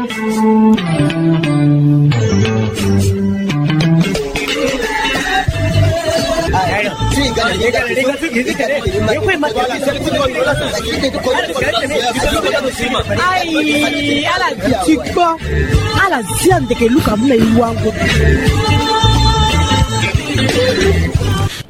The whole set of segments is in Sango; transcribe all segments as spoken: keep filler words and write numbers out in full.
Ai, ala zia ndeke luka muna iwango.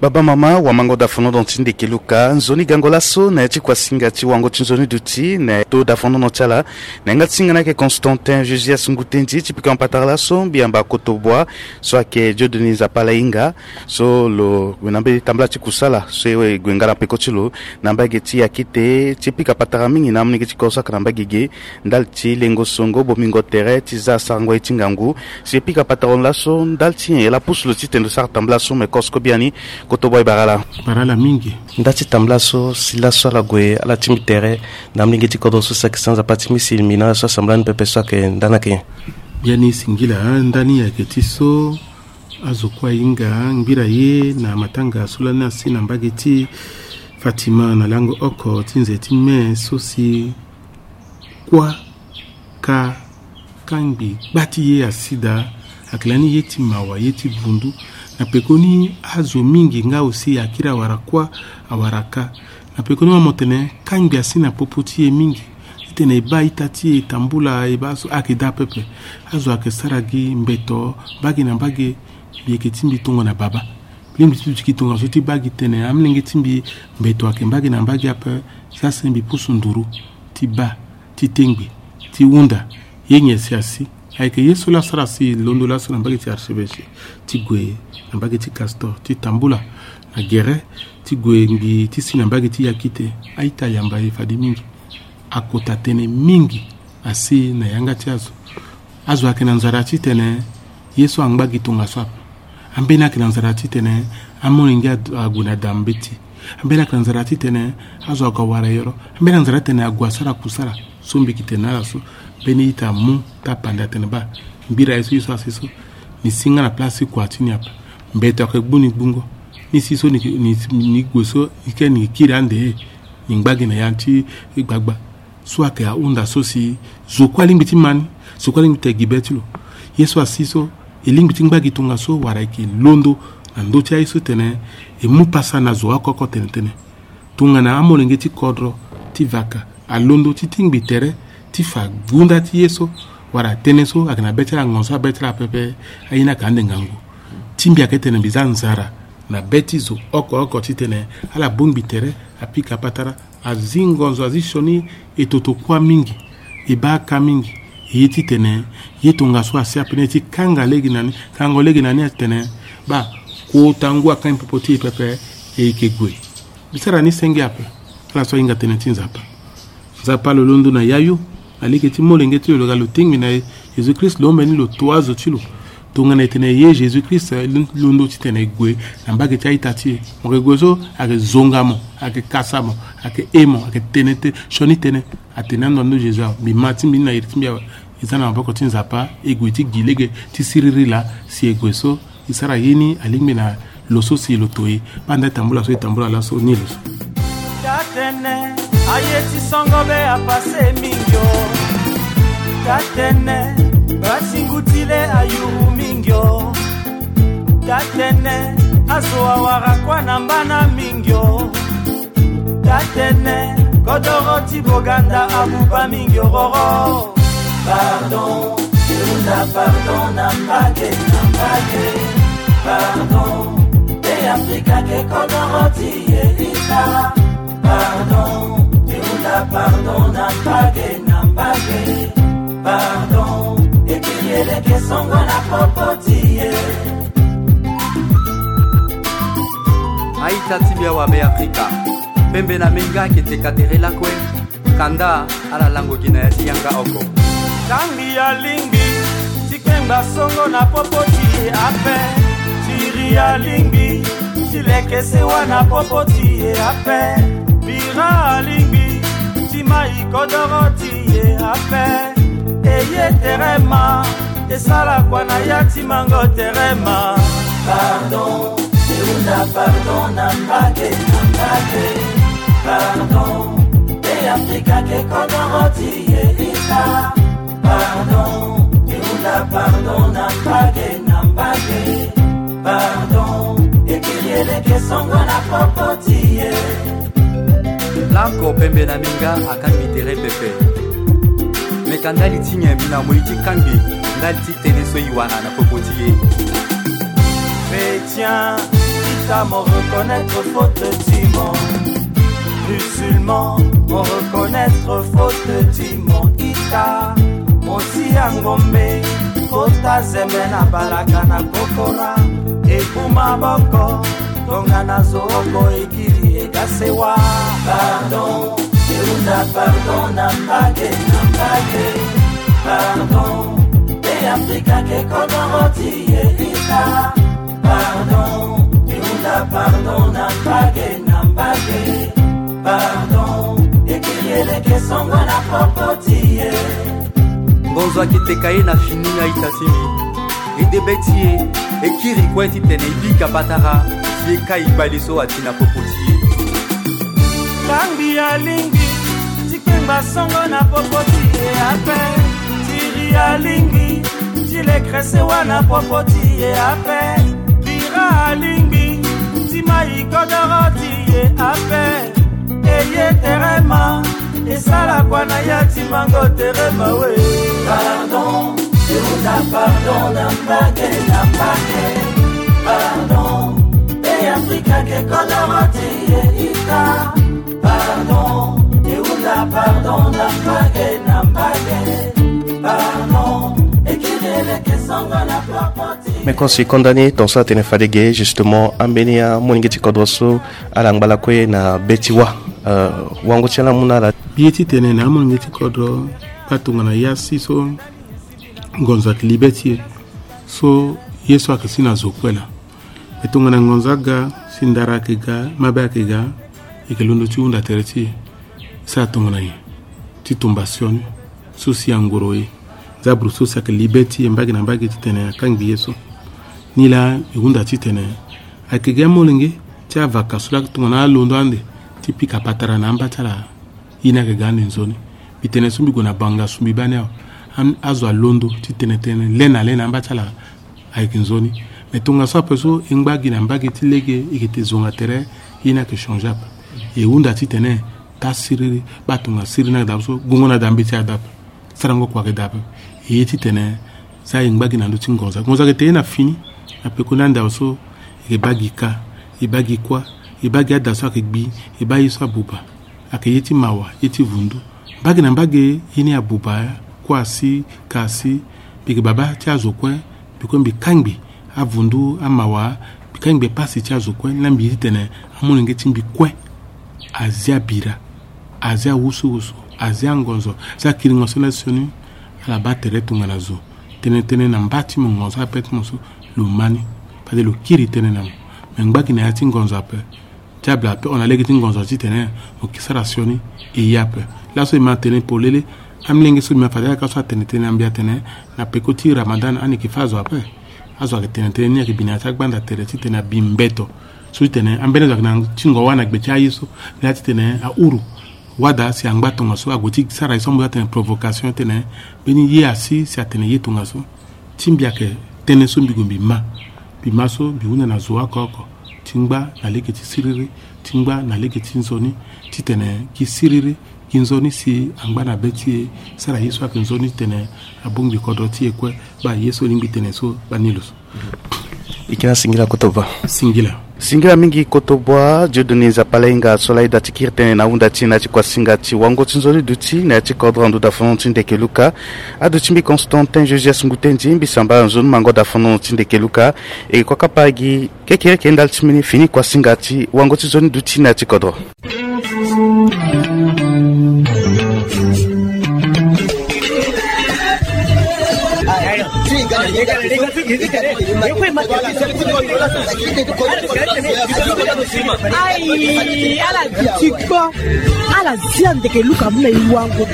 Baba, mama, wamango dafonono ti ndeke luka nzoni gango laso na ya ti kuasinga ti wango ti nzoni duti na to dafonono ti ala. Na yanga ti singa ni ayeke Constantin Josias Ngutendi ti pika patara laso mbi yamba Kotobua so ayeke Dieudonné Nzapa Lahinga. So lo gue na mbeni tambula ti kusala so e gue nga na peko ti lo na mbage ti akite ti pika patara mingi na amolenge ti kodro so ayeke na mbage ge ndali ti lengo songo bomingo tere ti za sarango ye ti ngangu. Si e pika patara lo laso ndali ti nyen e lapusu lo titene lo sara tambula so me kosoko biani. Kotobua e bara ala. Bara ala mingi. Nda ti tambula so si laso ala gue ala tingbi tere na amolenge ti kodro so si ayeke sanza pâti misi mbi na ala so asambela ni pepe so ayeke nda ni ayeke nyen? Biani singila, nda ni ayeke ti so azo kue ahinga ngbira ye na matanga so lani asi na mbage ti Fatima na lango oko ti nze ti me so si kuâ ka kangbi gba ti ye asi daa. Ayeke lani ye ti mawa, ye ti vundu. Na pekoni azo mingi nga aussi akiri awara kuâ awara ka. Na pekoni mo tene kangbi asi na popo ti e mingi titene e baa ita ti e tambula e baa so ayeke daa pepe. Azo ayeke sara gi mbeto mbage na mbage. Mbi yeke ti mbi tongana baba. Lingbi ti duti gi tongaso ti baa gi tene amolenge ti mbi mbeto ayeke mbage na mbage ape. Si ase mbi pusu nduru ti baa ti tengbi ti hunda ye nyen si asi. Ayeke ye so la asara si londo laso na mbage ti archevêché ti gue na mbage ti Castor ti tambula na gere ti gue ngbii ti si na mbage ti Yakite. A-ita ayamba e fade mingi. Akota tënë mingi asi na yanga ti azo. Azo ayeke na nzara titene ye so angba gi tongaso ape. Ambeni ayeke na nzara titene amolenge ad- ague na da mbeti. Ambeni ayeke na nzara titene azo ague awara yoro. Ambeni na nzara titene ague asara kusala so mbi yeke tene na ala so. Mbeni ita amu tapande atene baa ngbira ye so ye so asi so ni si nga na place ti kua ti ni ape. Mbeto ayeke gbu ni gbungo. Ni si so ni, ni, ni gue so ni ke ni kiri ande ni ngba gi na ya ti gbagba. So ayeke ahunda so si zo kue alingbi ti ma ni, zo kue alingbi ti gi be ti lo. Ye so asi so e lingbi ti ngba gi tongaso wala e yeke londo na ndö ti aye so tene e mu pasa na zo oko oko tene tënë. Tongana amolenge ti kodro ti vaka alondo ti tingbi tere ti fa gunda ti ye so wala tënë so ayeke na be ti ala ngonzo abe ti ala pepe. Aye ni ayeke ande ngangu. Ti mbi ayeke tene mbi za nzara na be ti zo oko oko titene ala bongbi tere, apika patara, azi ngonzo, azi sioni, e toto kuâ mingi, e baa ka mingi. E ye titene ye tongaso asi ape ni ti kanga lege na ni, kango lege na ni atene baa kota ngu akangbi popo ti e pepe. E yeke gue. Mbi sara ni senge ape. Ala so ahinga tënë ti Nzapa. Nzapa lo londo na yayu na lege ti molenge ti lo, lo ga lo tingbi na e. Jésus Christ lo ombe ni lo to azo ti lo. Tongana e tene e ye Jésus Christ, e londo titene e gue na mbage ti a-ita ti e. Mo yeke gue so ayeke zonga mo, ayeke kasa mo, ayeke he mo, ayeke tene te sioni tënë. Atene ando ando Jésus awe, mbi ma ti mbi ni na iri ti mbi awe. E za na maboko ti Nzapa, e gue ti gi lege ti siriri laa si e gue so. E sara ye ni alingbi na lo so si lo to e. Banda e tambula so e tambula laso ni lo so. Tatene, aye ti songo be apase mingi o. Tatene, batingu ti le ayuru mingi o. Tatene, azo awara kuâ na mbana mingi o. Tatene, kodoro ti Boganda abuba mingi ororo. Pardon, Kirunda, pardon, na mbage, na mbage. Pardon, e Afrika ke kodoro ti e ita. Pardon, Kirunda, pardon, na mbage, na mbage. Pardon, e kiri eleke songo na popo ti e. A-ita ti mbi awabe Afrika, pembe na menga ayeke teka tere lakue. Kanda ala lango gi na ya ti yanga oko. Tangi alingbi ti kpengba songo na popo ti e ape. Tiri alingbi ti leke sewa na popo ti e ape. Bira alingbi ti mai kodoro ti e ape. E ye tere ma. E sala kua na ya ti mango tere ma. Pardon, e hunda pardon na mbage, na mbage. Pardon, e Afrika ke kodoro ti e ita. Pardon, Oko pembe na minga akangbi tere pepe. Me ka ndali ti nyen mbi na moi ti kangbi ndali ti tënë so e wara na popo ti e. Chrétien, ita mo reconnaître faute ti mo. Musulman, mo reconnaître faute ti mo. Ita mo si ya ngombe, kota zembe na balaka na kokora. E kuma boko, tongana zo oko e kiri e ga sewa. Pardon, e hunda pardon na mbage na mbage. Pardon, e Afrika ke kodoro ti e ita. Pardon, e hunda pardon na mbage na mbage. Pardon, e kiri e leke songo na popo ti e. Ngonzo ayeke teka ye na fini na ita ti mbi. E de be ti e, e kiri kue titene e bika patara, si e kai bale so ati na popo ti e. Kangbi alingbi ti kpengba songo na popo ti e ape. Tiri alingbi ti lekre sewa na popo ti e ape. Bira alingbi ti mai kodoro ti e ape. E ye tere ma, e sara kua na ya ti mango tere ma we. Pardon, e hunda pardon na mbage na mbage. Pardon, e Afrika ke kodoro ti e ita. Pardon, e hunda pardon na mbage na mbage. Pardon, e kiri e leke songo na popo ti e. Me kosi konda ni tongaso atene fade ge, justement, ambeni amolenge ti kodro so ala ngba lakue na be ti wa. Euh, wango ti ala mu na ala. Mbi ye titene na amolenge ti kodro, baa tongana ya si so ngonzo ayeke li be ti e, so ye so ayeke si na zo kue laa. Me tongana ngonzo aga, si ndara ayeke ga, mabe ayeke ga, e yeke londo ti hunda tere ti e. E sara tongana nyen ti tumba sioni so si angoro e. Nzaburu so si ayeke li be ti e mbage na mbage titene akangbi ye so. Nilaa e hunda titene ayeke gi amolenge ti avaka so laa tongana alondo ande ti pika patara na amba ti ala. Ye ni ayeke ga ande nzoni. Mbi tene so mbi gue na bangasu mbi baa ni awe. Am-, azo alondo titene tene le na le na amba ti ala ayeke nzoni. Me tongaso ape so e ngba gi na mbage ti lege e yeke te zonga tere, ye ni ayeke changer ape. E hunda titene taa siriri, baa tonga siriri ni ayeke daa so, gongo na daa mbeti ayeke daa ape. Sarango kua ayeke daa ape. E ye titene za e ngba gi na ndö ti ngonza. Ngonza ayeke te ye na fini. Na peko ni ande awe so, e yeke baa gi ka, e baa gi kuâ, e baa gi ada so ayeke gbi, e baa ye so abuba. Ayeke ye ti mawa, ye ti vundu. Mbage na mbage ye ni abuba, kuâ asi, ka asi. Mbi yeke baba ti azo kue, mbi kue mbi kangbi avundu, amawa, mbi kangbi pasi ti azo kue, ni laa mbi ye titene amolenge ti mbi kue azia bira, azia wusuwusu, azia ngonzo, azia kiringo so laa sioni, ala baa tere tongana zo. Tënë tënë na mba ti mo ngonzo ape ti mo so, lo ma ni. Fade lo kiri tënë na mo. Me ngba gi na ya ti ngonzo ape. Diable ape hon na lege ti ngonzo titene mo ke sara sioni e ye ape. Laso e ma tene polele, amolenge so mbi ma fade ayaka so atene tënë na mbi atene, na peko ti Ramadan ani yeke fâ azo ape. Azo ayeke tene tënë ni ayeke bi na ya ti agbanda tere titene abi mbeto. So titene ambeni azo ayeke na tingo wâ na gbe ti aye so, na ya titene ahuru. Wada si angba tongaso ague ti sara ye so ambi atene provocation titene mbeni ye asi si atene ye tongaso. Ti mbi ayeke tënë so mbi gue mbi ma. Mbi ma so mbi hunda na zo oko oko. Ti ngba na lege ti siriri, ti ngba na lege ti nzoni, titene gi siriri, gi nzoni si angba na be ti e, sara ye so ayeke nzoni titene abongbi kodro ti e kue, baa ye so lingbi tene so, baa ni lo so. Ikina singila kotoba. Singila. Singila mingi kotoba, Dieudonné Nzapalainga so laa e da ti kiri tënë na hunda ti e na ya ti kuasinga ti wango ti nzoni duti na ya ti kodro ando dafono ti ndeke luka. Aduti mbi Constantin Josias Ngutendi, mbi samba nzoni mango dafono ti ndeke luka. E kua kapa gi kekereke ndali ti mbeni fini kuasinga ti wango ti nzoni duti na ya ti kodro. Ayi, ala duti kpo, ala zia ndeke luka mu na e wango.